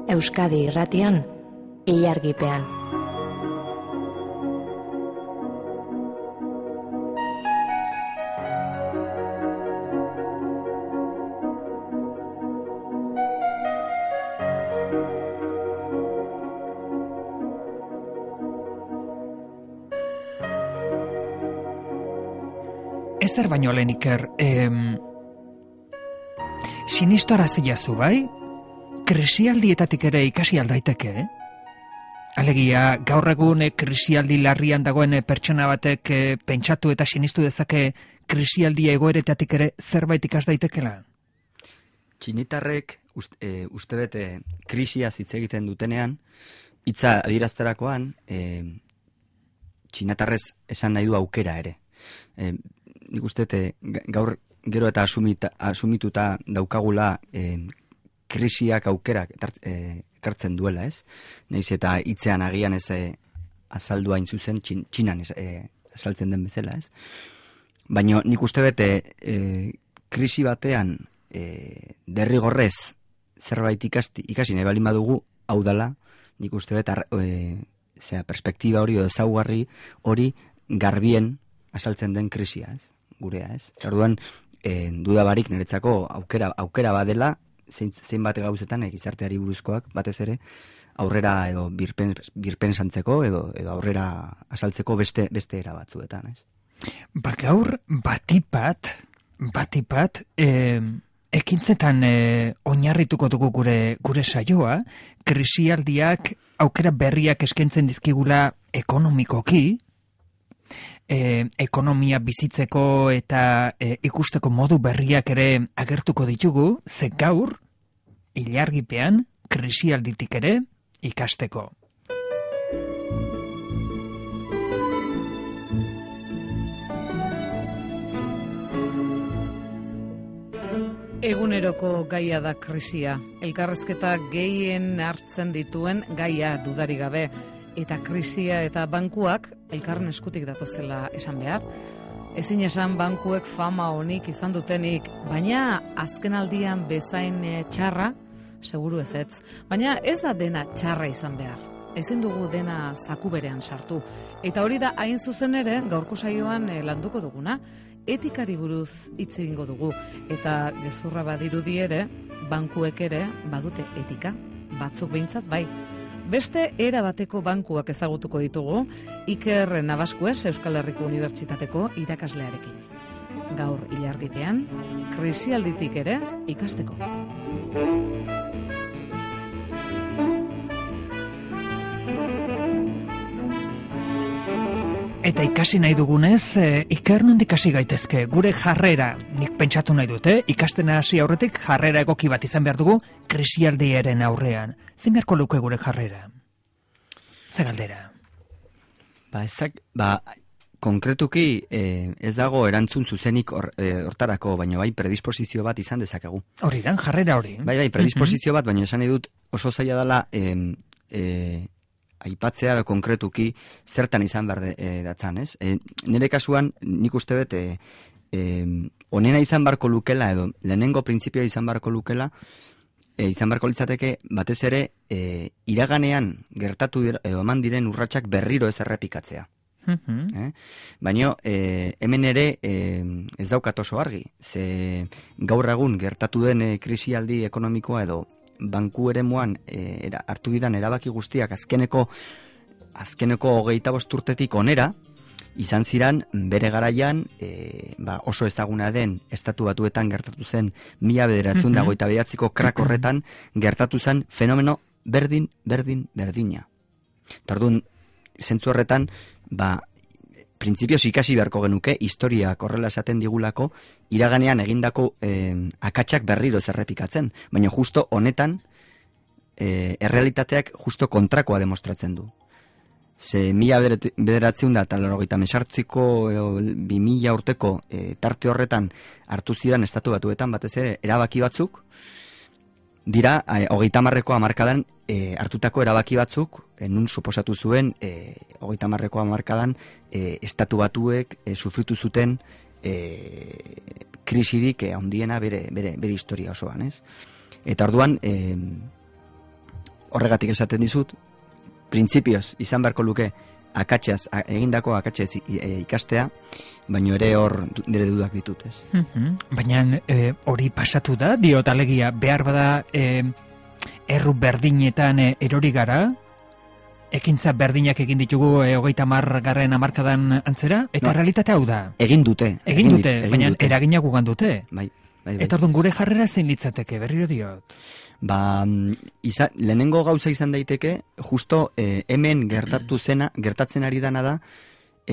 Euskadi Irratian, Ilargipean. Ezer baino lehen Iker, sinistu araziazu bai? Krisialdietatik ere ikasi aldaiteke, Alegia, gaur egun krisialdi larrian dagoen pertsona batek pentsatu eta sinistu dezake krisialdia egoeretatik ere zerbait ikas daitekela? Txinitarrek uste bete krisia hitz egiten dutenean, hitza adierazterakoan, txinatarrez esan nahi du aukera ere. Nik uste gaur gero eta asumituta daukagula krisiak aukerak ekartzen duela, ez? Nahiz eta hitzean agian ez azaldu hain zuzen Txinan azaltzen den bezala, ez? Baina nik uste bete krisi batean derrigorrez zerbait ikasi nahi balin badugu, hau dela, nik uste bete perspektiba hori edo ezaugarri hori garbien azaltzen den krisia, ez? Gurea, ez? Orduan, duda barik niretzako aukera badela, zein bate gauzetan gizarteari buruzkoak, batez ere, aurrera edo birpen santzeko edo aurrera azaltzeko beste era batzuetan, ez? Gaur batipat, ekintzetan oinarrituko dugu gure saioa, krisialdiak aukera berriak eskaintzen dizkigula ekonomikoki, ekonomia bizitzeko eta ikusteko modu berriak ere agertuko ditugu, ze gaur, Ilargipean, krisialditik ere ikasteko. Eguneroko gaia da krisia. Elkarrezketa gehien hartzen dituen gaia dudarik gabe. Eta krisia eta bankuak elkarren eskutik datozela esan behar. Ezin esan bankuek fama honik izan dutenik, baina azkenaldian bezain txarra, seguru ezetz. Baina ez da dena txarra izan behar. Ezin dugu dena zaku berean sartu. Eta hori da hain zuzen ere gaurko saioan landuko duguna. Etikari buruz hitz egingo dugu. Eta gezurra badirudi ere, bankuek ere badute etika. Batzuk behintzat bai. Beste erabateko bankuak ezagutuko ditugu, Iker Nabaskues Euskal Herriko Unibertsitateko irakaslearekin. Gaur Ilargipean, krisialditik ere ikasteko. Eta ikasi nahi dugunez, Iker nondik hasi gaitezke, gure jarrera, nik pentsatu nahi dute, ikasten hasi aurretik jarrera egoki bat izan behar dugu krisialdiaren aurrean. Zein beharko luke gure jarrera? Ze galdera? Konkretuki ez dago erantzun zuzenik hortarako, baina bai predisposizio bat izan dezakegu. Hori da, jarrera hori. Bai, predisposizio bat, baina esan nahi dut oso zaila dela aipatzea da konkretuki zertan izan behar datzan, ez? Nire kasuan nik uste bet onena izan barko lukela edo lehenengo printzipioa izan barko lukela izan barko litzateke batez ere iraganean gertatu edo eman diren urratsak berriro ez errepikatzea. Baina hemen ere ez daukat oso argi, ze gaur egun gertatu den krisialdi ekonomikoa edo banku eremuan hartu diran erabaki guztiak azkeneko 25 urtetik onera izan ziran bere garaian oso ezaguna den Estatu Batuetan gertatu zen 1929ko krak horretan gertatu zen fenomeno berdina. Tardun zentzu horretan printzipioz ikasi beharko genuke historiak horrela esaten digulako iraganean egindako akatsak berriro ez errepikatzen, baina justo honetan errealitateak justo kontrakoa demostratzen du. Ze 1998ko 2000 urteko tarte horretan hartu ziren Estatu Batuetan batez ere erabaki batzuk dira 30ko hamarkadan hartutako erabaki batzuk, nun suposatu zuen 30ko hamarkadan Estatu Batuek sufritu zuten krisirik handiena bere historia osoan, ez? Eta orduan horregatik esaten dizut, printzipioz izan beharko luke egindako akatsez ikastea, baino ere hor nire dudak ditut, ez? Baina hori pasatu da, diot alegia, behar bada erru berdinetan erori gara, ekintza berdinak egin ditugu 30. hamarkadan antzera, eta realitate hau da. Egin dute. Baina eragina gugan dute. Bai. Eta orduan gure jarrera zein litzateke, berriro diot. Lehenengo gauza izan daiteke, justo hemen gertatzen ari dana da,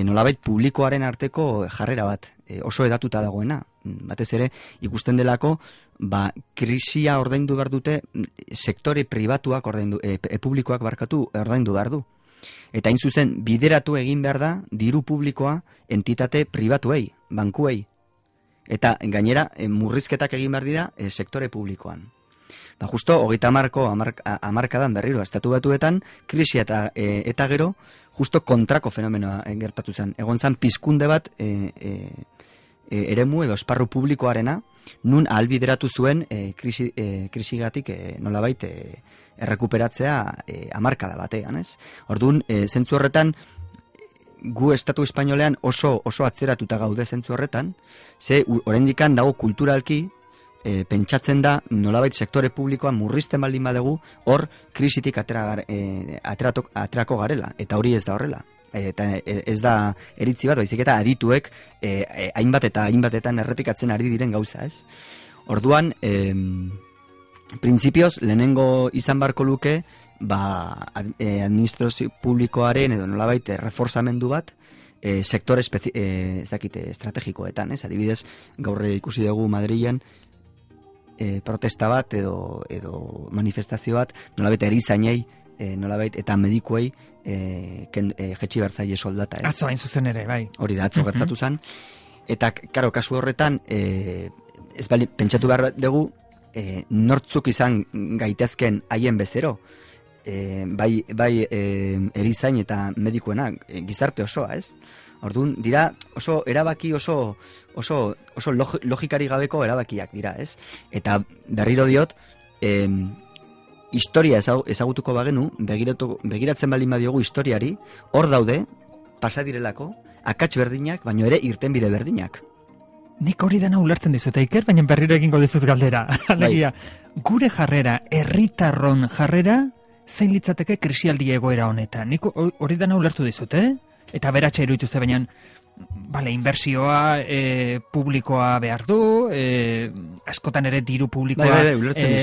nolabait publikoaren arteko jarrera bat, oso edatuta dagoena. Batez ere, ikusten delako, krisia ordaindu behar dute, sektore pribatuak publikoak ordaindu behar du. Eta hain zuzen, bideratu egin behar da, diru publikoa entitate pribatuei, bankuei. Eta gainera, murrizketak egin behar dira sektore publikoan. Justo, 30. hamarkadan berriro, estatu batuetan, krisia eta gero, justo kontrako fenomenoa gertatu zen. Egon zen pizkunde bat eremu edo esparru publikoarena, nun ahalbideratu zuen krisigatik nolabait errekuperatzea hamarkada batean, ez? Orduan, zentzu horretan, gu estatu espainolean oso atzeratuta gaude zentzu horretan, ze oraindikan dago kulturalki, pentsatzen da nolabait sektore publikoan murrizten baldin badegu, hor krisitik aterako garela, eta hori ez da horrela. Eta ez da eritzi bat, baizik eta adituek hainbatetan errepikatzen ari diren gauza, ez? Orduan, printzipioz, lehenengo izan barko luke, administrazio publikoaren edo nolabait reforzamendu bat, sektore estrategikoetan, ez? Adibidez, gaur ikusi dugu Madrilen, protesta bat edo manifestazio bat, nolabait erizainei, nolabait eta medikuei jetxi bertzaile soldata. Atzo hain zuzen ere, bai. Hori da, atzo gertatu zen. Eta, karo, kasu horretan, pentsatu behar dugu, nortzuk izan gaitezken haien bezero, bai erizain eta medikuena, gizarte osoa, ez? Orduan, dira, oso erabaki oso logikari gabeko erabakiak dira, ez? Eta berriro diot, historia ezagutuko bagenu, begiratzen baldin badiogu historiari, hor daude, pasadirelako, akats berdinak, baino ere irtenbide berdinak. Nik hori dena ulertzen dizut, Iker, baina berriro egingo dizut galdera. Alegia, gure jarrera, herritarron jarrera, zein litzateke krisialdi egoera honetan. Nik hori dena ulertu dizut, Eta beratxa iruditu ze, baina inbertsioa publikoa behar du, askotan ere diru publikoa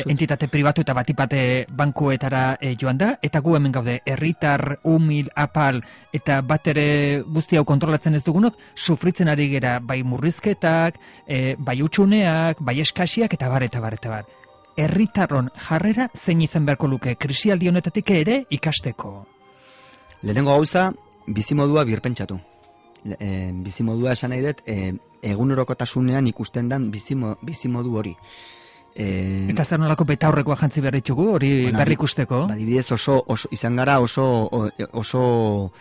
entitate pribatu eta batipate bankuetara joan da, eta gu hemen gaude, herritar, humil, apal, eta bat ere guzti hau kontrolatzen ez dugunok, sufritzen ari gera bai murrizketak, bai utxuneak, bai eskasiak, eta bar. Herritarron jarrera zein izan beharko luke krisialdi honetatik ere ikasteko. Lehenengo gauza, bizimodua birpentsatu. Bizimodua esan nahi dut, egunerokotasunean ikusten dan bizimodu hori. Eta zer nolako betaurrekoa jantzi behar ditugu, hori berri ikusteko? Adibidez izan gara oso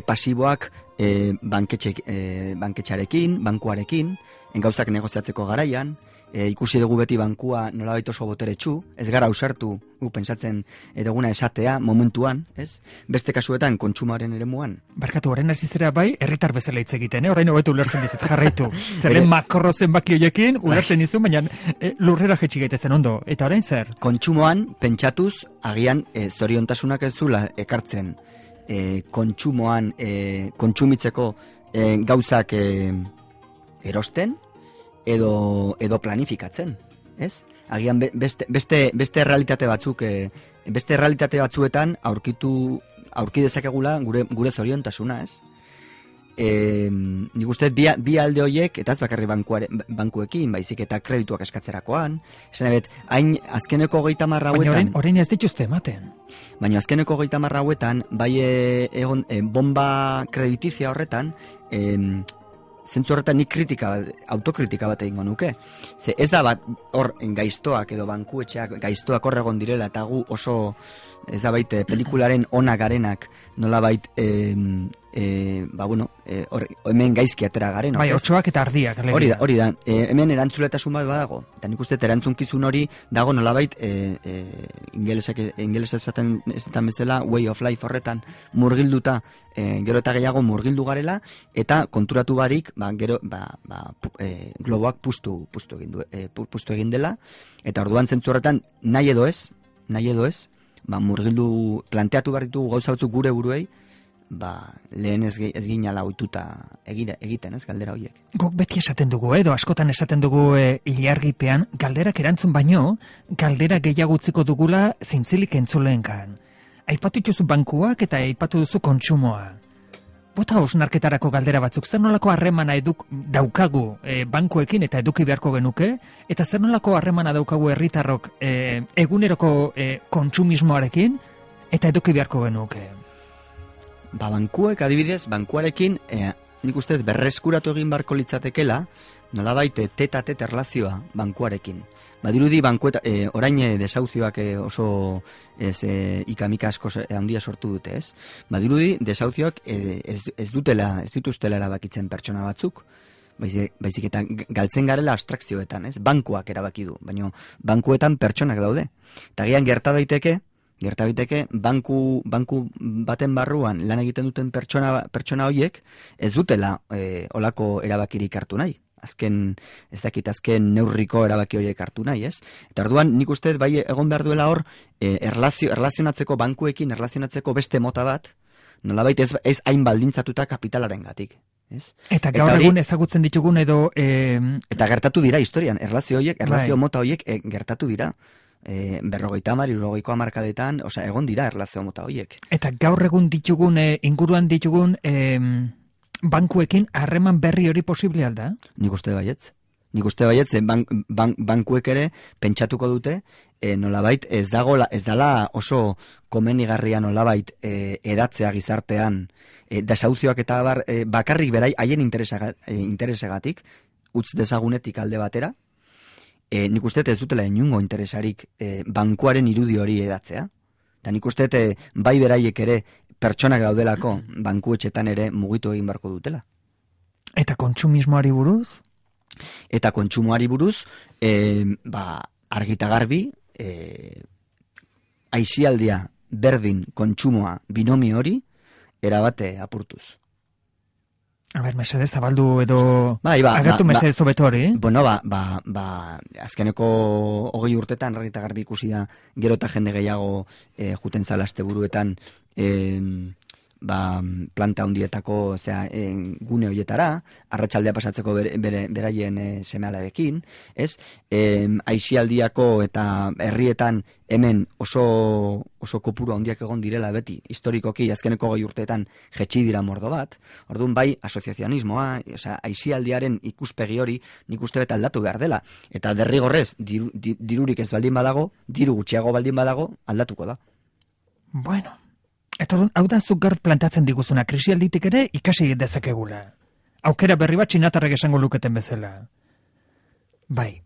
pasiboak banketxarekin, bankuarekin, gauzak negoziatzeko garaian, ikusi dugu beti bankua nolabait oso boteretsu, ez gara ausartu, pentsatzen eduguna esatea momentuan, ez? Beste kasuetan kontsumoaren eremuan. Barkatu, orain hasi zera bai, herritar bezala hitz egiten, orain hobeto ulertzen dizut, jarraitu. Zeren makro zenbaki horiekin ulertzen dizu, baina lurrera jetxi gaitezen ondo. Eta orain zer? Kontsumoan pentsatuz agian zoriontasunak ez zula ekartzen kontsumoan kontsumitzeko gauzak erosten edo planifikatzen, ez? Agian beste realitate batzuk, beste realitate batzuetan aurki dezakegula gure zoriontasuna, ez? Nik uste bi alde horiek, eta ez bakarri bankuekin, baizik eta kredituak eskatzerakoan, esan ebet, hain azkeneko 30 hauetan... Baina orain ez dituzte ematen. Baina azkeneko 30 hauetan, bai egon bomba kreditizia horretan, zentzu horretan nik autokritika bat egingo nuke. Ze ez da bat hor gaiztoak edo bankuetxeak gaiztoak hor egon direla eta gu oso ez da baita pelikularen ona garenak nolabait hemen gaizki atera garen. Bai, otsoak eta ardiak. Hori da, hemen erantzuletasun bat badago. Eta nik uste erantzunkizun hori dago nolabait, ingelesa esaten bezala, way of life horretan murgilduta, gero eta gehiago murgildu garela, eta konturatu barik, globoak pustu egin dela, eta orduan zentzu horretan nahi edo ez, murgildu planteatu behar ditugu gauza batzuk gure buruei, lehen ez ginala ohituta egiten, ez, galdera horiek. Guk beti esaten dugu, edo askotan esaten dugu ilargipean, galderak erantzun baino, galdera gehiago utziko dugula zintzilik entzuleenkan. Aipatu dituzu bankuak eta aipatu duzu kontsumoa. Bota hausnarketarako galdera batzuk, zer nolako harremana daukagu bankuekin eta eduki beharko genuke, eta zer nolako harremana daukagu herritarrok eguneroko kontsumismoarekin eta eduki beharko genuke? Bankuek, adibidez, bankuarekin, nik uste berreskuratu egin barko litzatekela, nolabait teta-teta erlazioa bankuarekin. Badirudi orain desauzioak oso ikamika asko handia sortu dute, ez? Badirudi desauzioak ez dituztela erabakitzen pertsona batzuk, baizik eta galtzen garela abstrakzioetan, ez? Bankuak erabaki du, baina bankuetan pertsonak daude. Eta gian gerta daiteke, banku baten barruan lan egiten duten pertsona horiek ez dutela olako erabakirik hartu nahi. Azken neurriko erabaki horiek hartu nahi, ez? Eta orduan nik uste bai egon behar duela hor erlazionatzeko bankuekin, erlazionatzeko beste mota bat, nolabait ez hain baldintzatuta kapitalaren gatik. Ez? Eta gaur egun ezagutzen ditugun edo... Eta gertatu dira historian, erlazio mota horiek gertatu dira. 50-60ko hamarkadetan, egon dira erlazio mota horiek. Eta gaur egun ditugun, inguruan ditugun bankuekin harreman berri hori posible alda? Nik uste baietz, bankuek ere pentsatuko dute, nolabait ez dala oso komenigarria nolabait edatzea gizartean, desauzioak eta bakarrik berai haien interesagatik, utz dezagunetik alde batera, nik uste ez dutela inungo interesarik bankuaren irudi hori edatzea. Eta nik uste bai beraiek ere pertsonak daudelako bankuetxetan ere mugitu egin beharko dutela. Eta kontsumismoari buruz? Eta kontsumoari buruz, argita garbi, aisialdia berdin kontsumoa binomio hori erabate apurtuz. A ber, mesedez, zabaldu edo agertu mesedez hobeto hori? Bueno, azkeneko 20 urtetan argita garbi ikusi da gero eta jende gehiago juten zala asteburuetan planta handietako gune horietara, arratsaldea pasatzeko beraien seme-alabekin, ez? Aisialdiako eta herrietan hemen oso kopuru handiak egon direla beti, historikoki azkeneko 20 urteetan jetxi dira mordo bat, orduan bai asoziazionismoa, aisialdiaren ikuspegi hori nik uste bet aldatu behar dela, eta derrigorrez dirurik ez baldin badago, diru gutxiago baldin badago, aldatuko da. Bueno, eta hau da zuk gaur plantatzen diguzuna, krisialditik ere ikasi dezakegula. Aukera berri bat txinatarrek esango luketen bezala. Bai.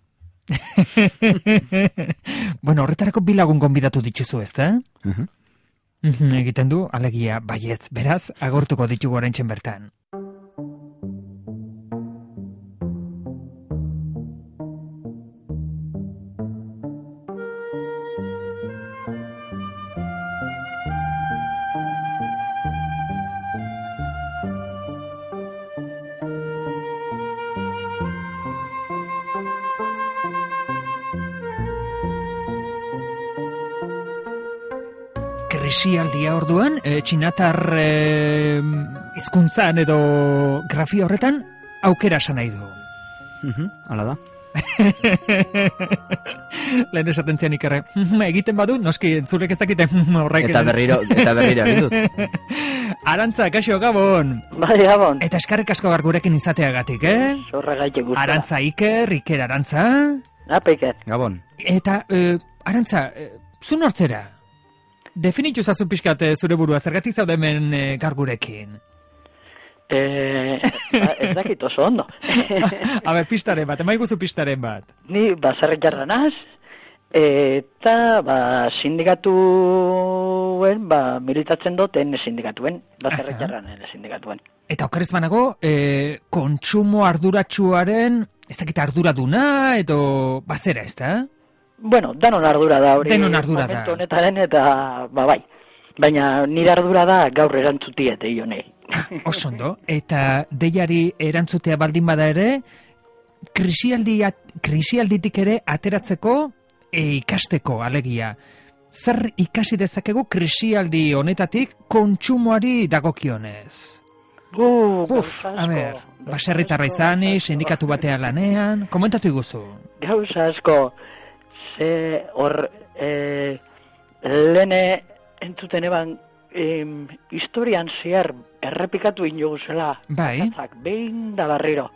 Bueno, horretarako bilagun gonbidatu dituzu, ez da? Egiten du, alegia, baietz, beraz, agortuko ditugu oraintzen bertan. Krisialdia orduan, txinatar hizkuntzan edo grafia horretan aukera esan nahi du. Hala da. Lehen esaten zian ikerre, egiten badu, noski entzulek ez dakite horrek. Eta berriro egin dut. Arantza, kaixo, Gabon. Bai, Gabon. Eta eskarrik asko gurekin izateagatik, Zorregaitek guztia. Arantza Iker Arantza. Apa, Iker. Gabon. Eta, Arantza, zu nortzera? Definitu zazu pixkat zure burua, zergatik zaude hemen gargurekin? Ez dakit oso ondo. A ber, pistaren bat, emaiguzu pistaren bat. Ni baserritarra naz, Eta, sindikatuen, militatzen duten sindikatuen, baserritarran sindikatuen. Eta okerez banago, kontsumo arduratsuaren, ez dakit arduraduna, edo bazera, ez da? Bueno, danon ardura da hori. Denon ardura da. Momentu honetaren eta, bai. Baina nire ardura da gaur erantzutiet, honei. Osondo, eta deiari erantzutea baldin bada ere, krisialditik ere ateratzeko ikasteko alegia. Zer ikasi dezakegu krisialdi honetatik kontsumoari dagokionez? A ber, baserritarra izanik, sindikatu batean lanean, komentatu iguzu. Gauza asko, ze hor, lehene entzuten eban, historian zehar errepikatu inoguzela, bai. Behin da barriro.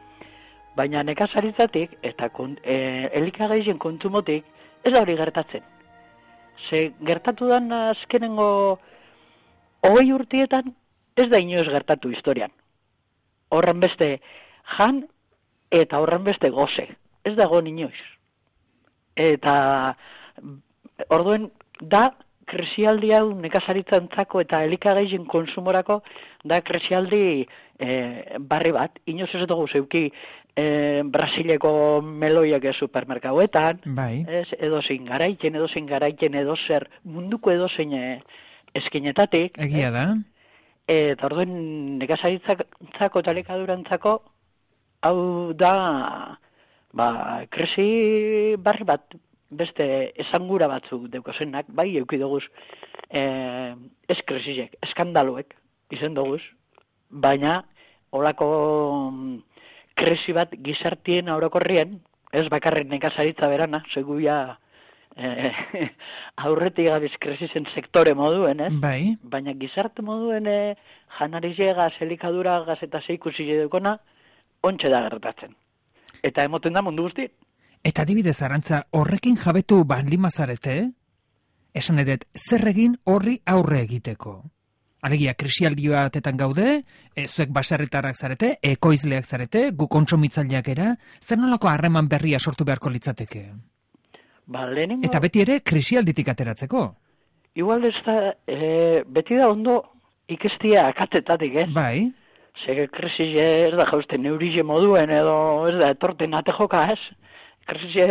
Baina nekazaritzatik eta elikagaien kontsumotik ez da hori gertatzen. Ze gertatu dan azkenengo 20 urtietan ez da inoiz gertatu historian. Horren beste jan eta horren beste goze. Ez dago inoiz. Eta orduen da krisialdi hau nekazaritzantzako eta elikagaien konsumorako da krisialdi barri bat. Inoiz ez dugu zeuki Brasileko meloiak supermerkauetan, bai. Edozein garaiken edozer, munduko edozein eskinetatik. Egia da. Eta orduen nekazaritzako eta elikadurantzako hau da krisi barri bat, beste esangura batzuk deukozenak, bai eukidoguz ez krisisek, eskandaluek izen doguz, baina olako krisi bat gizartien orokorrien, ez bakarrik nekazaritza berana, seguia aurretik gabiz krisisen sektore moduen, ez? Bai. Baina gizarte moduen janarizegaz, elikaduragaz eta zeikusi edukona, ontxe da gertatzen. Eta emoten da mundu guzti. Eta adibidez, Arantza, horrekin jabetu bandimazarete, esan edet, zer egin horri aurre egiteko? Alegia, krisialdi batetan gaude, zuek baserritarrak zarete, ekoizleak zarete, gu kontsumitzaileak era, zer nolako harreman berria sortu beharko litzateke? Lehenengo... Eta beti ere krisialditik ateratzeko? Igual ez da, beti da ondo ikestia akatetatik, ez? Bai. Zege krisi ez da jausten neurize moduen edo ez da etorten atejoka, ez? Krisi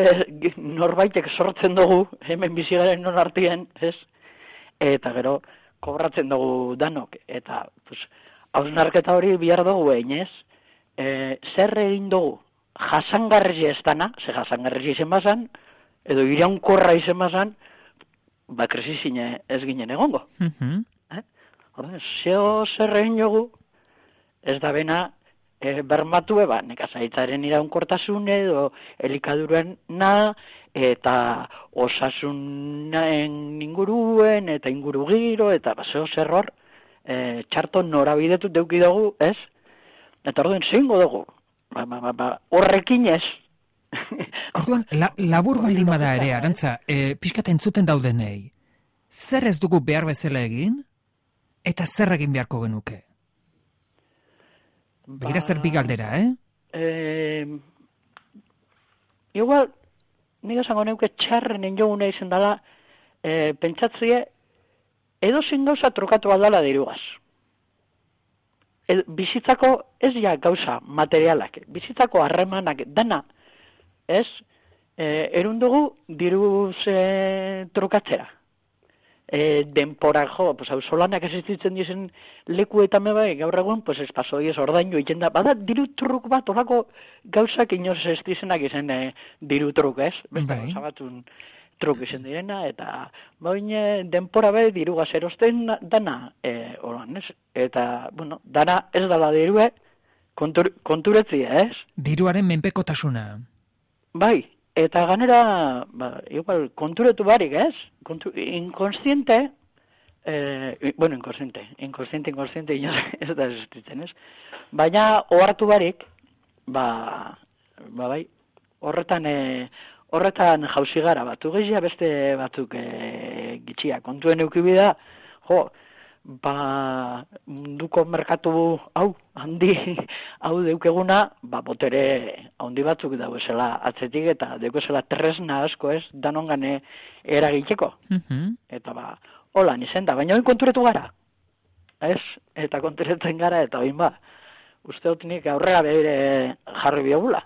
norbaitek sortzen dugu, hemen bizigaren non artien, ez? Eta gero, kobratzen dugu danok, eta hausnarketa hori bihar dugu egin, ez? Zer egin dugu jasangarri ez dana, ze jasangarri izen bazan, edo iraunkorra izen bazan, krisizin ez ginen egongo. Zeo zer egin dugu, ez da bena bermatu nekazaritzaren iraunkortasun edo elikaduruen eta osasunen inguruen, eta inguru giro, eta zeo zer hor, txarto norabidetu deuki dugu, ez? Eta orduen zeingo dugu, horrekin ez. Orduan, labur baldin bada ere, Arantza, pixkat entzuten daudenei, zer ez dugu behar bezala egin, eta zer egin beharko genuke? Begira zer bigaldera, Igual, nik esango neuke txarren enjogune izan dela, pentsatzie, edo zin gauza trukatu aldala dirugaz. Bizitzako ez ja gauza materialak, bizitzako harremanak dana, ez, erundugu diruz trukatzera. Denpora jo, solanak existitzen dizen lekuetan bai, gaur egun, espazoi ez ordainu egiten da, bada diru truk bat, orako gauzak inoz ez dizenak izen diru truk, ez? Beste gauza batun truk izen direna, eta baina denpora bai dirugaz erosten dana, horan, ez? Eta, bueno, dana ez dala dirue, konturetzia, ez? Diruaren menpekotasuna. Bai. Eta ganera, igual, konturetu barik, ez? Inkonstiente, inkonstiente, ez da existitzen, ez? Baina, ohartu barik, bai, horretan jauzi gara, batu gehia beste batzuk gitxia. Kontuen eukibida, munduko merkatu hau, hau deukeguna, botere handi batzuk dauezela atzetik eta deukezela tresna asko ez, danongane eragiteko. Eta holan izen da, baina oin konturetu gara. Ez? Eta konturetzen gara, eta oin uste dut nik aurrera behire jarri biogula.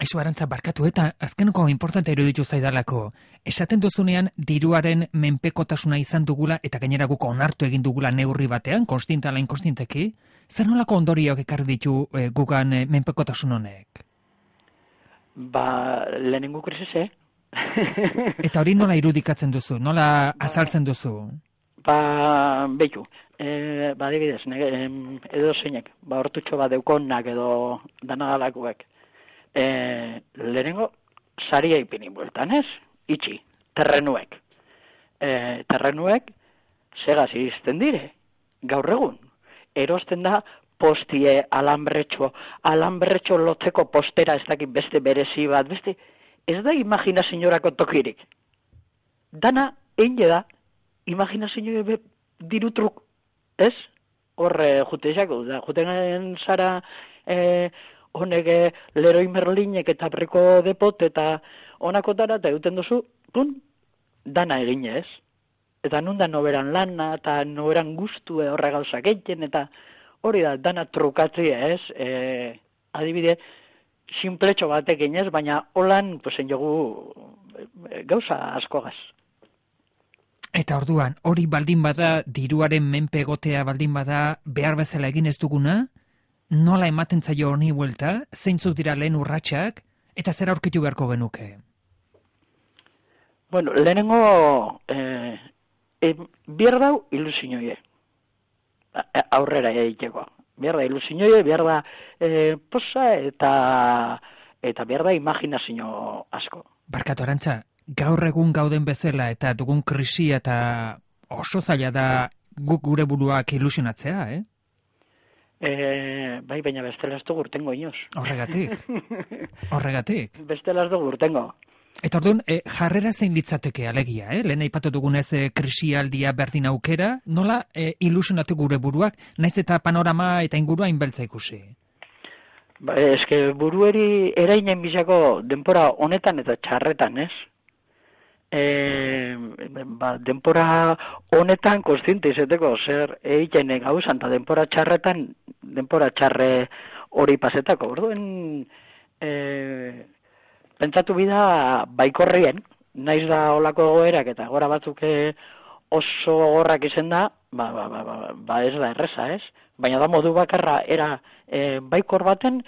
Aizu, Arantza, barkatu eta azkeneko importante iruditu zaidalako. Esaten duzunean diruaren menpekotasuna izan dugula eta gainera guk onartu egin dugula neurri batean, konstinta ala inkostinteki, zer nolako ondorioak ekarri ditu gugan menpekotasun honek? Lehenengo krisise. Eta hori nola irudikatzen duzu, nola azaltzen duzu? Behitu, adibidez, edo zeinek, hortutxo bat deukonak edo danagalakuek. Lehenengo, saria ipini bueltan, ez? Itxi, terrenuek. Terrenuek, segaz izten dire, gaur egun. Erosten da, postie, alambretxo lotzeko postera ez dakit beste berezi bat, beste, ez da imaginazioarako tokirik. Dana, eine da, imaginazio dirutruk, ez? Horre, jutezako, da, juten zara, honek Leroy Merlinek eta Briko Depot eta honakotara eta egiten duzu, dana egin ez. Eta nun da noberan lana eta noberan guztu horre gauzak egiten eta hori da, dana trukatzea ez. Adibide, sinpletxo batek egin ez, baina holan, jogu gauza askogaz. Eta orduan, hori baldin bada, diruaren menpe egotea baldin bada, behar bezala egin ez duguna, nola ematen zaio honi buelta, zeintzuk dira lehen urratsak, eta zer aurkitu beharko genuke? Bueno, lehenengo behar dau ilusioie. Aurrera egiteko. Behar da ilusioie, behar da posa eta behar da imaginazio asko. Barkatu, Arantza, gaur egun gauden bezala eta dugun krisia eta oso zaila da guk gure buruak ilusionatzea, Bai, baina bestela ez dugu urtengo inoz. Horregatik. Bestela ez dugu urtengo. Eta orduan, jarrera zein litzateke alegia, Lehen aipatu dugunez krisialdia berdin aukera, nola ilusionatu gure buruak, naiz eta panorama eta ingurua inbeltza ikusi? Eske burueri erainen bizako denpora honetan eta txarretan, ez? Denpora honetan konstiente izeteko zer egiten gauzan, eta denpora txarretan, denpora txarre hori pasetako. Orduen, pentsatu bida baikorrien, naiz da olako egoerak eta gora batzuk oso gogorrak izen da, ez da erreza, ez? Baina da modu bakarra era baikor baten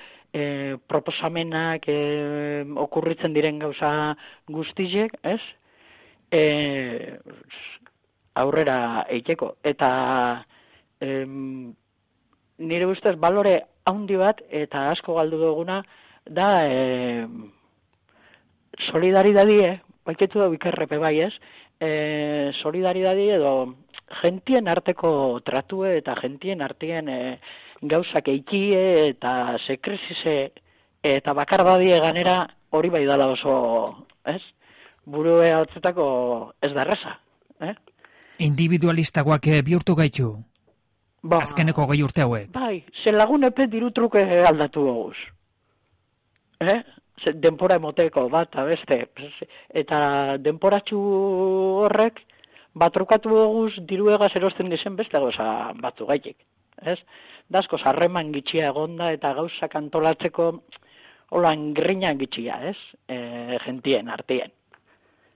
proposamenak okurritzen diren gauza guztiek, ez? Aurrera eiteko. Eta nire ustez balore handi bat eta asko galdu duguna da solidaridadie, baiketu da ikerrepe bai ez, solidaridadie edo gentien arteko tratue eta gentien artien gauzak eikie eta sekrizise eta bakardadie ganera hori bai dala oso, ez? Burue altzetako ez da erraza, Individualistagoak bihurtu gaitu? Azkeneko 2 urte hauek? Bai, zen lagun epe dirutruke aldatu goguz. Denpora emoteko bat, beste. Eta denporatxu horrek batrukatu goguz diruegaz erosten dizen beste gauza batzu gaitik. Dazko zarreman gitxia egonda eta gauzak antolatzeko holan griñan gitxia, gentien, artien.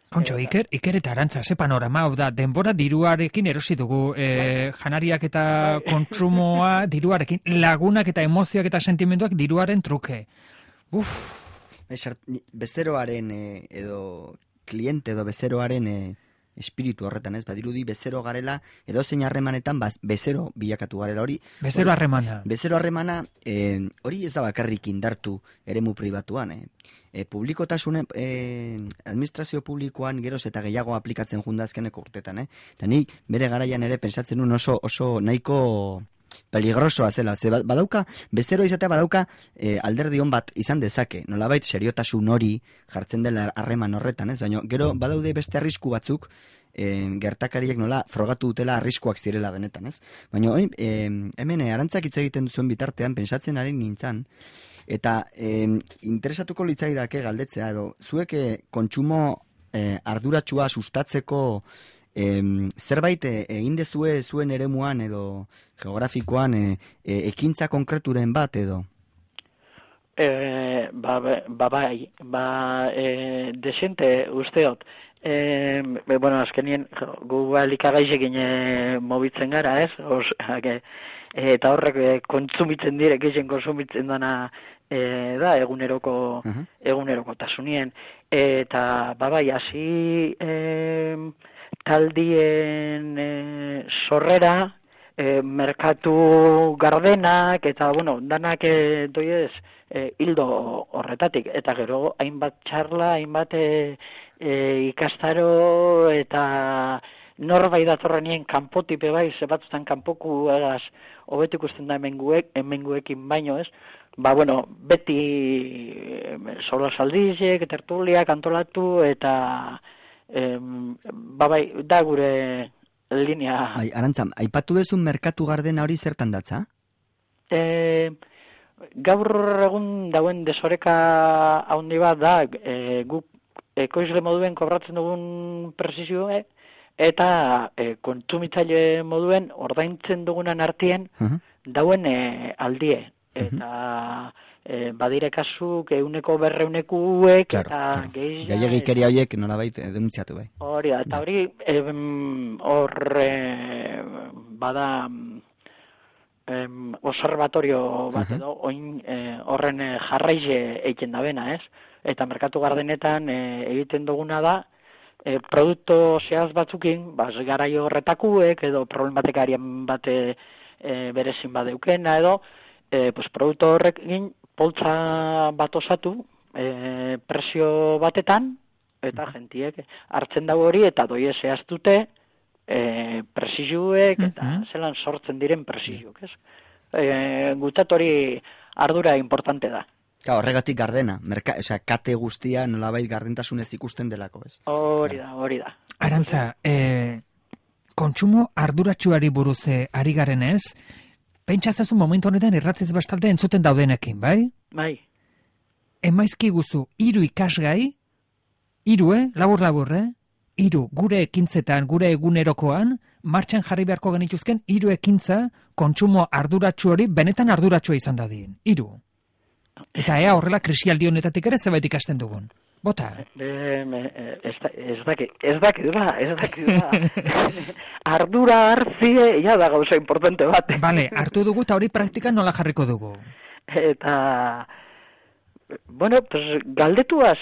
Kontxo, Iker eta Arantza, ze panorama, hau da, denbora diruarekin erosi dugu, janariak eta kontsumoa diruarekin, lagunak eta emozioak eta sentimenduak diruaren truke. Bezeroaren edo kliente edo bezeroaren espiritu horretan, ez? Badirudi bezero garela, edo zein harremanetan bezero bilakatu garela hori. Bezero harremana. Bezero harremana, hori ez da bakarrik indartu eremu pribatuan, publikotasunen, administrazio publikoan geroz eta gehiago aplikatzen junda azkeneko urtetan, eta nik bere garaian ere pensatzen nuen oso nahiko peligrosoa zela, ze badauka, bezero izatea badauka alderdi on bat izan dezake, nolabait seriotasun hori jartzen dela harreman horretan, ez? Baina gero badaude beste arrisku batzuk, gertakariek nola frogatu dutela arriskuak zirela benetan, ez? Baina hemen Arantzak hitz egiten duzuen bitartean, pentsatzen ari nintzen, eta interesatuko litzaidake galdetzea, edo zuek kontsumo arduratsua sustatzeko zerbait egin dezue zuen eremuan edo geografikoan ekintza konkreturen bat edo? Desente usteot. Bueno, azkenien gu elikagaizekin mobitzen gara, ez? Eta horrek kontsumitzen direk, gehien kontsumitzen dana da egunerokotasunien. Eta hasi taldien sorrera, merkatu gardenak, eta, bueno, danak doiez hildo horretatik. Eta gero, hainbat txarla, hainbat ikastaro, eta norbait datorrenien kanpotipe bai, zebatzutan kanpoku egaz, hobetu ikusten da hemenguekin baino, ez? Bueno, beti solosaldizek, tertuliak antolatu, eta da gure linea. Bai, Arantza, aipatu bezun merkatu gardena hori zertan datza? Gaur egun dauen desoreka handi bat da, guk ekoizle moduen kobratzen dugun presizioa, eta kontsumitzaile moduen ordaintzen dugunan artien dauen aldie. Eta badire kasuk 100-200 eta gehiagikeria horiek nolabait denuntziatu bai. Hori da, eta hori bada observatorio bat edo horren jarraize egiten da bena, ez? Eta merkatu gardenetan egiten duguna da produkto zehaz batzukin, garai horretakuek edo problematikarian bate berezin badeukena edo produktu horrekin poltsa bat osatu presio batetan eta jentiek hartzen dago hori eta doie zehaztute presizuek eta zelan sortzen diren presizuek, ez? Gutzat hori ardura importante da. Horregatik gardena, kate guztia nolabait gardentasunez ikusten delako, ez? Hori da. Arantza, kontsumo arduratsuari buruz ari garen ez, pentsazazu momentu honetan irratiz bastalde entzuten daudenekin, bai? Bai. Emaizki guzu, 3 ikasgai, 3, labur, 3 gure ekintzetan, gure egunerokoan, martxan jarri beharko genituzken 3 ekintza kontsumo arduratsu hori benetan arduratsua izan dadin. 3. Eta ea horrela krisialdi honetatik ere zebait ikasten dugun. Bota. Ez dakit da. Ardura hartzie, ja da gauza importante bat. Bale, hartu dugu eta hori praktikan nola jarriko dugu. Eta, bueno, pues, galdetuaz,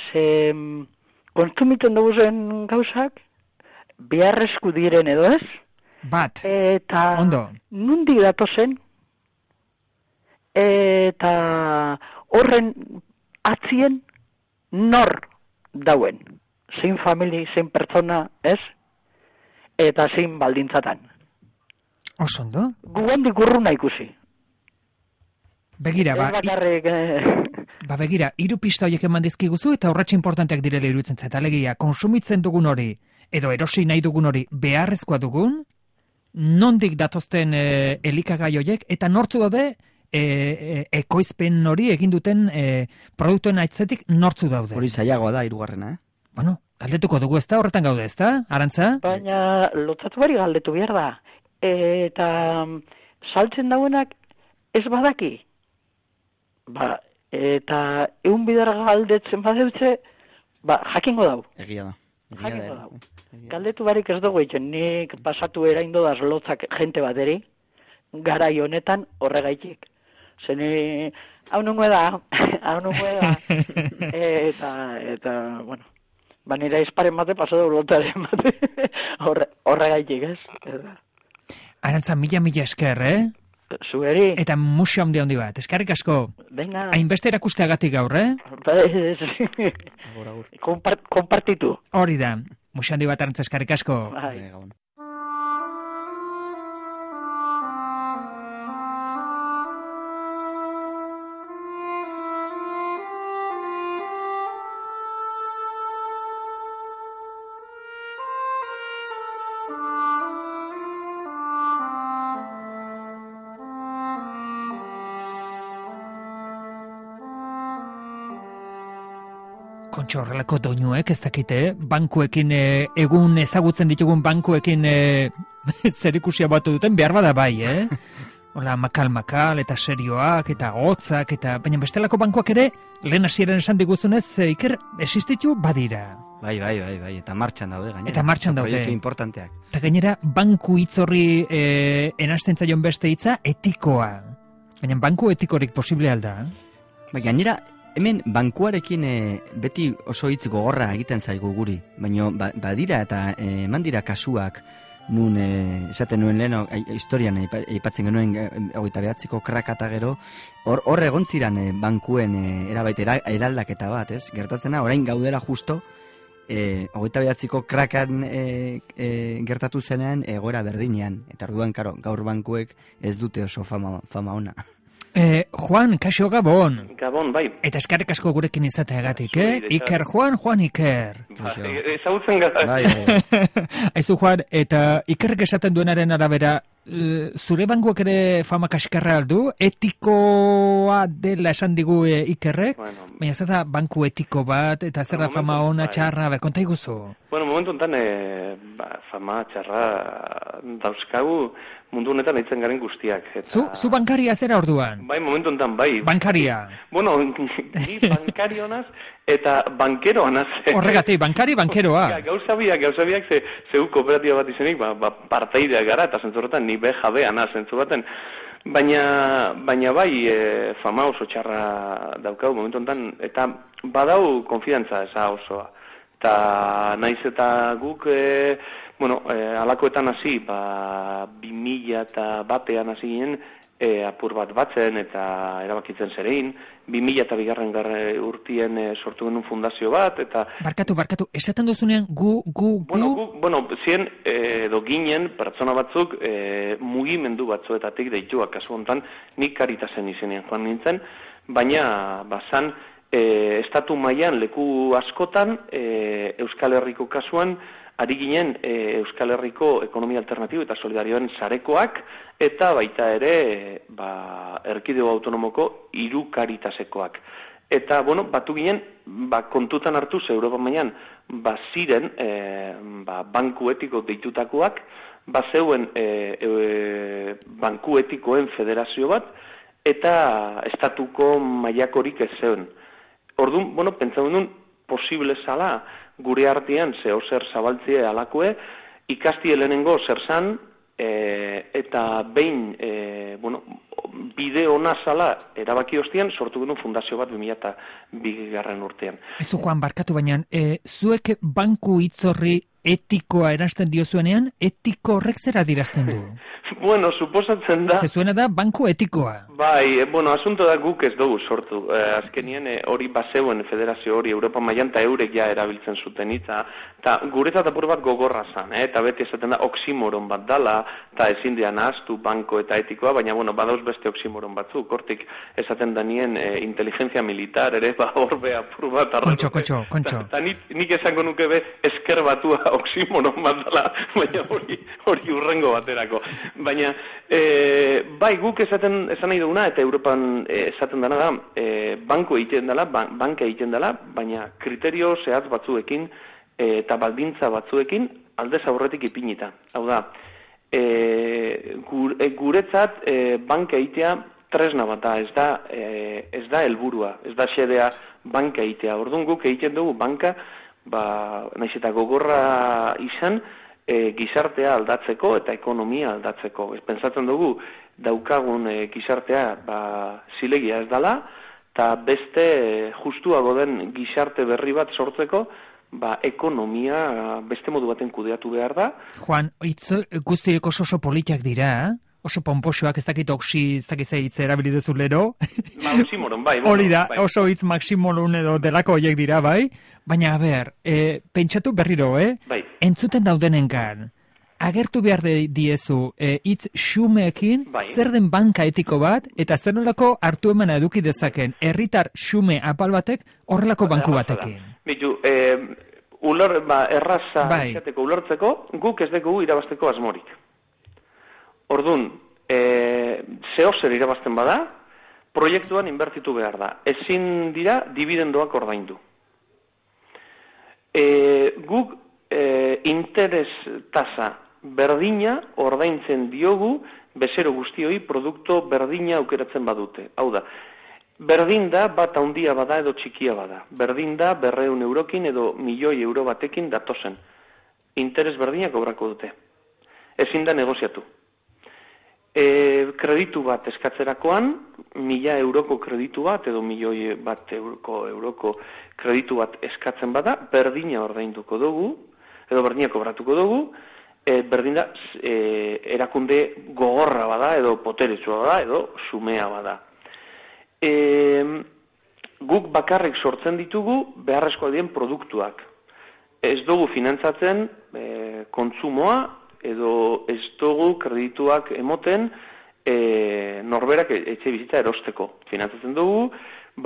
kontsumitzen dugu zen gauzak, beharrezku diren edo ez? Bat, eta ondo. Nundik datozen, eta horren atzien nor dauen. Zein famili, zein pertsona, ez? Eta zein baldintzatan. Osondo? Gugandik urruna ikusi. Begira, begira, 3 pista horiek eman dizkiguzu eta horretxe importanteak direla iruditzen zait. Alegia, konsumitzen dugun hori, edo erosi nahi dugun hori beharrezkoa dugun, nondik datozten elikagai horiek, eta nortzu daude ekoizpen hori egin duten produktuen aitzetik nortzu daude. Hori zailagoa da, 3. Bueno, galdetuko dugu ezta, horretan gaude ezta, Arantza? Baina lotzatu bari galdetu behar da. Eta saltzen dauenak ez badaki. Eta egun bidar galdetzen badeutze, jakingo dau. Egia da. Jakingo dau. Galdetu barik ez dugu egiten, nik pasatu eraindu daz lotzak jente bateri, garai honetan horregaitik. Zene, hau nungo da. Eta, bueno, nire izparen bate, pasatu lotzaren bate, horregaitik, ez? Arantza, mila esker, Zueri. Eta musio handi bat, eskerrik asko. Venga. Hainbeste erakusteagatik gaur, Konpartitu. Hori da, musio handi bat, Arantza, eskerrik asko. Bai. Kontxo, horrelako doinuek, ez dakite, bankuekin, egun ezagutzen ditugun bankuekin zerikusia batu duten, behar bada bai, Hola, makal, eta serioak, eta hotzak, eta baina bestelako bankuak ere, lehen hasieran esan diguzunez, Iker, existitu badira. Bai, eta martxan daude, gainera. Eta martxan daude. Proiektu importanteak. Eta gainera, banku hitzorri enasten zaion beste hitza, etikoa. Baina banku etikorik posible alda? Bai, gainera, hemen bankuarekin beti oso hitz gogorra egiten zaigu guri. Baina badira eta eman dira kasuak, nun esaten nuen leheno historian aipatzen genuen 29ko krakata gero, hor egontziran bankuen eraldaketa bat, ez? Gertatzena, orain gaudela justo, 29ko krakan gertatu zenean egoera berdinean. Eta orduan, karo, gaur bankuek ez dute oso fama ona. Juan, kaixo Gabon. Gabon, bai. Eta eskerrik asko gurekin izateagatik, Iker Juan Iker. Ezagutzen gara. Bai. Aizu Juan, eta Ikerrek esaten duenaren arabera, zure bankuak ere fama kaskarra aldu, etikoa dela esan digu Ikerrek, baina zer da banku etiko bat, eta zer da fama ona txarra, konta iguzu? Bueno, momentu enten, fama txarra dauzkagu mundu honetan eitzen garen guztiak. Zu bankaria zera orduan? Bai, momentu enten, bai. Bankaria? Bueno, ni bankarionaz eta bankeroanaz. Horregatik, bankeroa. Gauza biak zeu kooperatiba bat izenik, parteideak gara, eta zentzu horretan ni BJB-ana zentzu baten. Baina bai, fama oso txarra daukau momentu honetan, eta badau konfidantza eza osoa. Eta naiz eta guk, alakoetan hasi, 2001an hasi ginen, apur bat batzen eta erabakitzen zerein, 2002 urtien sortu genuen fundazio bat, eta... Barkatu, esaten duzunean gu... Zien, edo ginen, pertsona batzuk, mugimendu batzuetatik deituak, kasu honetan, nik Karitasen izenean joan nintzen, baina, bazan, estatu mailan leku askotan, Euskal Herriko kasuan, ari ginen Euskal Herriko ekonomia alternatibo eta solidarioen sarekoak, eta baita ere erkidego autonomoko 3 Karitasekoak. Eta, batu ginen, kontutan hartuz Europa mailan, ziren banku etiko deitutakoak, zeuen banku etikoen federazio bat, eta estatuko mailakorik ez zeuen. Orduan, pentsatzen duen, posible zala, gure artean zer zabaltzea alakue, ikastie lehenengo zer zan, eta behin, bide ona zala erabaki ostean, sortu genuen fundazio bat 2002 urtean. Ezu Juan, barkatu baina, zuek banku hitzorri etikoa eransten diozuenean, etiko horrek zer adirazten du? Suposatzen da... Zezuena da banku etikoa. Bai, asunto da guk ez dugu sortu. Azkenien hori bazeuen federazio hori Europa mailan eta eurek ja erabiltzen zuten hitza. Eta guretzat apur bat gogorra zan, eta beti esaten da oximoron bat dala, eta ezin dian ahaztu banko eta etikoa, baina badauz beste oximoron batzuk. Hortik esaten danien inteligencia militar ere, horbe apur bat. Kontxo. Eta nik esango nuke esker batua oximoron bat dala, baina hori urrengo baterako. Baina, bai, guk esan nahi duguna, eta Europan esaten dena da, banka egiten dela, baina kriterio zehatz batzuekin eta baldintza batzuekin aldez aurretik ipinita. Hau da, guretzat banka egitea tresna bat da, ez da helburua, ez da xedea banka egitea. Orduan guk egiten dugu banka, naiz eta gogorra izan, gizartea aldatzeko eta ekonomia aldatzeko. Pentsatzen dugu daukagun gizartea zilegia ez dela, eta beste justuago den gizarte berri bat sortzeko, ekonomia beste modu baten kudeatu behar da. Juan, guztiek oso politak dira, oso pomposoak, ez dakit hitz erabili duzu lero. Maximoron, bai. Hori da, oso hitz maximolun edo delako horiek dira, bai? Baina, pentsatu berriro, Bai. Entzuten daudenengan, agertu behar diezu hitz xumeekin, zer den banka etiko bat, eta zer nolako hartu emana eduki dezaken, herritar xume apal batek, horrelako banku batekin. Bitu, erraza izateko ulertzeko, guk ez dugu irabazteko asmorik. Orduan, zehozer irabazten bada, proiektuan inbertitu behar da. Ezin dira dividendoak ordaindu. interes tasa berdina ordaintzen diogu bezero guztioi produktu berdina aukeratzen badute. Hau da, berdin da bat handia bada edo txikia bada. Berdin da 200 eurokin edo 1.000.000 euro batekin datozen. Interes berdinak kobrako dute. Ezin da negoziatu. Kreditu bat eskatzerakoan, 1.000 euroko kreditu bat edo 1.000.000 euroko kreditu bat eskatzen bada, berdina ordainduko dugu, edo berdina kobratuko dugu, berdin da erakunde gogorra bada, edo poteretsua bada, edo xumea bada. Guk bakarrik sortzen ditugu beharrezkoak diren produktuak. Ez dugu finantzatzen kontsumoa, edo ez dugu kredituak emoten norberak etxe bizitza erosteko. Finantzatzen dugu,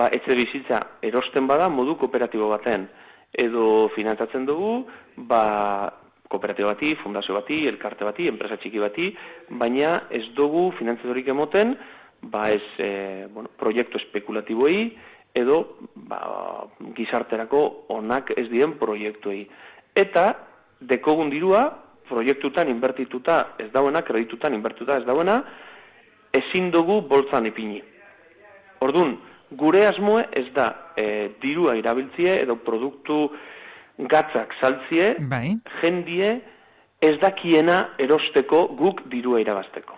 etxe bizitza erosten bada modu kooperatibo baten. Edo finantzatzen dugu, kooperatibo bati, fundazio bati, elkarte bati, enpresa txiki bati, baina ez dugu finantzatorik emoten, proiektu espekulatiboei, edo gizarterako onak ez diren proiektuei. Eta dekogun dirua, proiektutan inbertituta ez dauena, kreditutan inbertituta ez dauena, ezin dugu boltzan ipini. Orduan, gure asmoe ez da dirua irabiltzie edo produktu gatzak saltzie, jendie ez dakiena erosteko guk dirua irabazteko.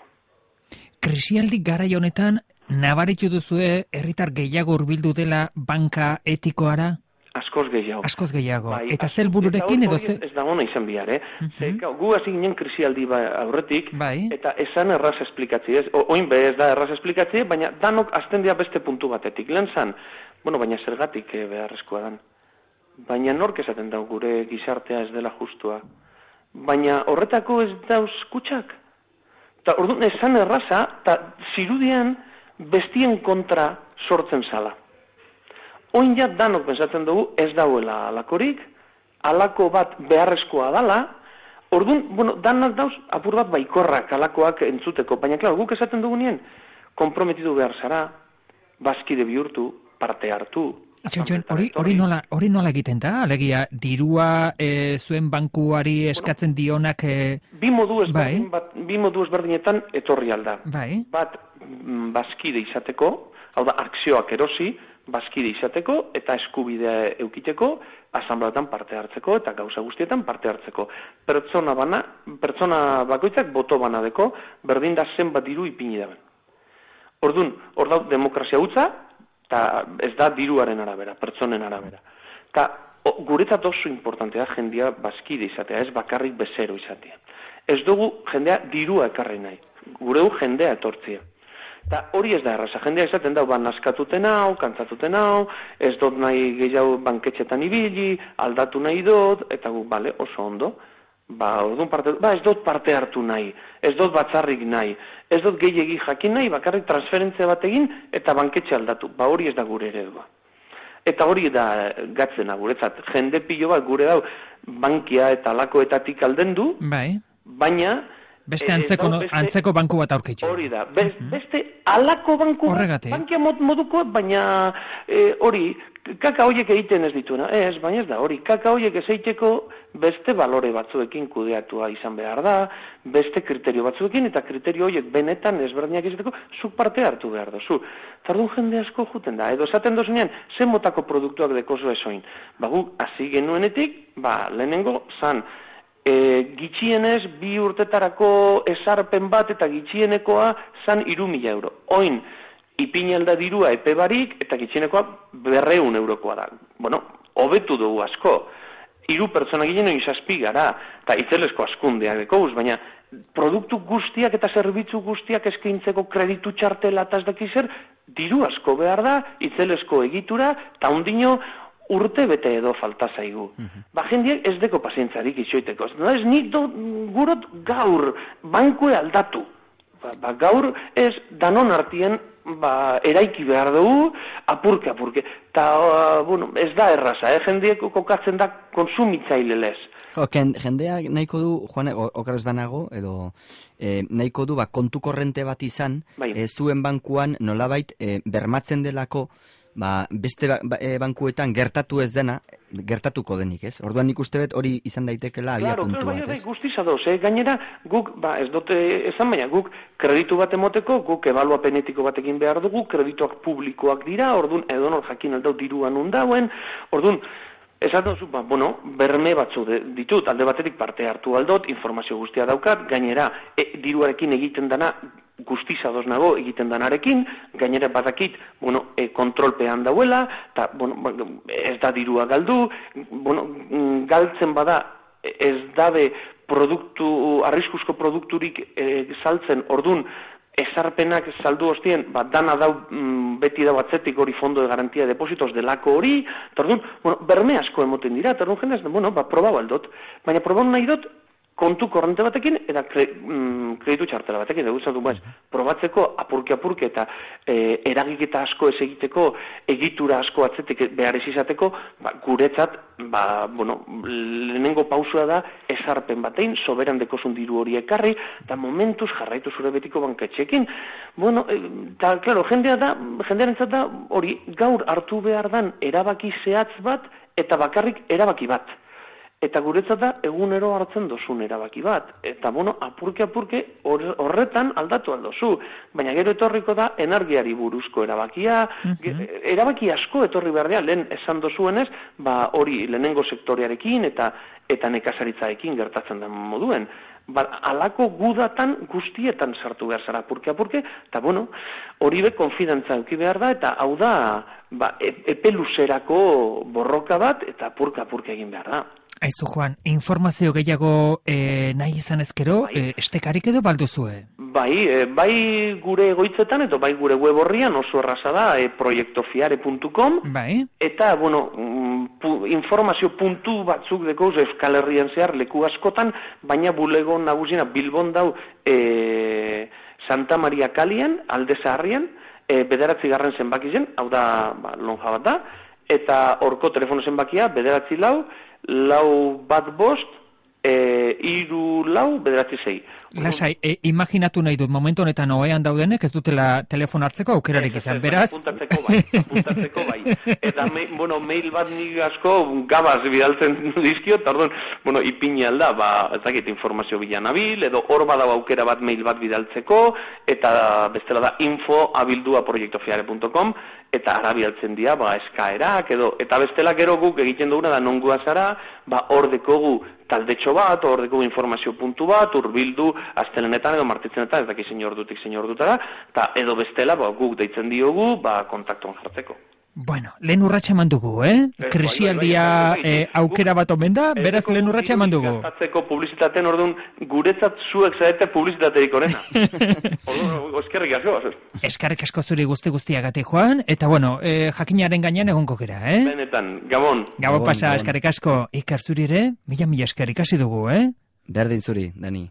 Krisialdi garai honetan, nabaritu duzue herritar gehiago hurbildu dela banka etikoara? Askoz gehiago. Askoz gehiago. Eta zer bururekin edo ze... Ez da gona izan bihar, Gu hasi ginen krisialdi aurretik, eta esan erraz esplikatzi, oin ez da erraz esplikatzi, baina danok azten dira beste puntu batetik. Lehen zan, baina zergatik beharrezkoa dan. Baina nork esaten da gure gizartea ez dela justua. Baina horretako ez dauz kutsak. Eta orduan esan erraza, eta zirudian bestien kontra sortzen zala. Oin ja danok pensatzen dugu ez dauela alakorik, alako bat beharrezkoa dala, orduan, danak dauz apur bat baikorrak alakoak entzuteko, baina klar, guk esaten dugu nien, komprometitu behar zara, bazkide bihurtu, parte hartu. Hori nola egiten da? Alegia, dirua zuen bankuari eskatzen dionak... Bi modu ezberdinetan etorri alda. Bat, bazkide izateko, hau da, akzioak erosi, bazkide izateko eta eskubidea eukiteko, asanbladetan parte hartzeko eta gauza guztietan parte hartzeko. Pertsona bakoitzak boto banadeko, berdin da zenbat diru ipini daben. Orduan, hor da demokrazia hutsa, eta ez da diruaren arabera, pertsonen arabera. Eta guretzat oso importantea jendea bazkide izatea, ez bakarrik bezero izatea. Ez dugu jendea dirua ekarri nahi, gureu jendea etortzia. Eta hori ez da erraza, jendea izaten da, naskatuten hau, kantzatuten hau, ez dut nahi gehiago banketxetan ibili, aldatu nahi dut, eta gu, oso ondo, ez dut parte hartu nahi, ez dut batzarrik nahi, ez dut gehiegi jakin nahi, bakarrik transferentzia bat egin, eta banketxe aldatu, hori ez da gure eredua. Eta hori da gatzena guretzat, jende pilo bat gure dau, bankia eta alakoetatik aldendu, baina... Beste antzeko banku bat aurkitzu. Hori da, beste alako banku bat, bankia moduko, baina hori, kaka horiek egiten ez dituena. Baina ez da, hori, kaka horiek ez egiteko beste balore batzuekin kudeatua izan behar da, beste kriterio batzuekin, eta kriterio horiek benetan ezberdinak izateko, zuk parte hartu behar da, zu. Tardun jende asko juten da, edo esaten dozunean, zen motako produktuak dekozu ezoin. Guk hasi genuenetik, lehenengo, zan, gitxienez 2 urtetarako esarpen bat eta gitxienekoa zan 3.000 euro. Oin, ipinelda dirua epe barik eta gitxienekoa 200 eurokoa da. Hobetu dugu asko. 3 pertsona ginen izazpi gara, eta itzelesko askundeak dekoz, baina produktu guztiak eta zerbitzu guztiak eskaintzeko kreditu txartela eta ez dakizer, diru asko behar da, itzelesko egitura, eta ondino urte bete edo falta zaigu. Jendiek ez deko pazientzarik itxoiteko. Ez nik gurot gaur bankue aldatu. Gaur ez danon artien eraiki behar dugu apurke. Eta ez da erraza, jendiek kokatzen da konsumitzaile lez. Jendea nahiko du, Juan, okeraz banago, edo nahiko du kontu korrente bat izan, zuen bankuan nolabait bermatzen delako beste bankuetan gertatu ez dena, gertatuko denik, ez? Orduan nik uste bet hori izan daitekela abia puntu bat, ez? Guztiz adoz, gainera, guk, ez dute esan baina, guk kreditu bat emoteko, guk ebaluapenetiko batekin behar dugu, kredituak publikoak dira, orduan edonor jakin aldau diruan undauen, orduan, esaten duzu, berme batzu ditut, alde batetik parte hartu aldot, informazio guztia daukat, gainera, diruarekin egiten dana, guztiz adoz nago egiten danarekin, gainera badakit, kontrolpean dauela, eta, ez da dirua galdu, galtzen bada, ez dabe arriskuzko produkturik saltzen, ordun ezarpenak saldu ostien, dana dau beti dau atzetik hori fondo de garantía de depósitos delako hori, eta orduan, berme asko emoten dira, eta orduan jendez, probau aldot, baina probau nahi dut, kontu korrente batekin, eta kreditu txartela batekin, probatzeko apurke eta eragiketa asko ez egiteko, egitura asko atzetik behar ez izateko, guretzat, lehenengo pausua da, ezarpen batein, soberan dekozun diru hori ekarri, eta momentuz jarraitu zure betiko banketxekin. Eta, klaro, jendearentzat da, hori, gaur hartu behar dan erabaki zehatz bat, eta bakarrik erabaki bat. Eta guretzat da, egunero hartzen dozun erabaki bat. Eta, apurke horretan aldatu aldozu. Baina gero etorriko da, energiari buruzko erabakia, erabaki asko etorri behar dira, lehen esan dozuenez, hori lehenengo sektorearekin eta nekazaritzaekin gertatzen den moduen. Alako gudatan guztietan sartu behar zara apurke, eta hori be konfidantza eduki behar da, eta hau da, epe luzerako borroka bat, eta apurke egin behar da. Aizu, Juan, informazio gehiago nahi izan ezkero, estekarik edo balduzue? Bai gure egoitzetan, eta bai gure web horrian oso erraza da, proiektofiare.com, eta, informazio puntu batzuk dekoz Euskal Herrian zehar leku askotan, baina bulego nagusina Bilbon dau Santa Maria Kalian, Alde Zaharrian, 9. zenbakien, hau da lonja bat da, eta horko telefono zenbakia 9-4-4-5, 3-4-9-6. Lasai, imaginatu nahi dut, momentu honetan ohean daudenek ez dutela telefon hartzeko aukerarik izan, beraz? Apuntatzeko bai. Eta, mail bat nik asko gabaz bidaltzen dizkio, eta orduan, ipini alda, ez dakit informazio bilanabil, edo hor badau aukera bat mail bat bidaltzeko, eta bestela da info@proiektofiare.com, eta ara bidaltzen dira, eskaerak, eta bestela gero guk egiten duguna da nongua zara, hor dekogu taldetxo bat, hor dekogu informazio puntu bat, urbildu, astelenetan edo martitzenetan, ez daki zein ordutik zein ordutara, eta edo bestela guk deitzen diogu, kontaktuan jartzeko. Bueno, lehen urratxa eman dugu, Krisialdia aukera bat omen da, beraz lehen urratxa eman dugu. Gastatzeko publizitateen orduan, guretzat zuek zaete publizitaterik onena. Eskerrik asko. Eskerrik asko zuri guztiagatik, Juan, eta jakinaren gainean egonko gera, Benetan, Gabon. Gabon pasa, eskerrik asko. Iker zuri ere, mila eskerrik hasi dugu, Berdin zuri, Dani.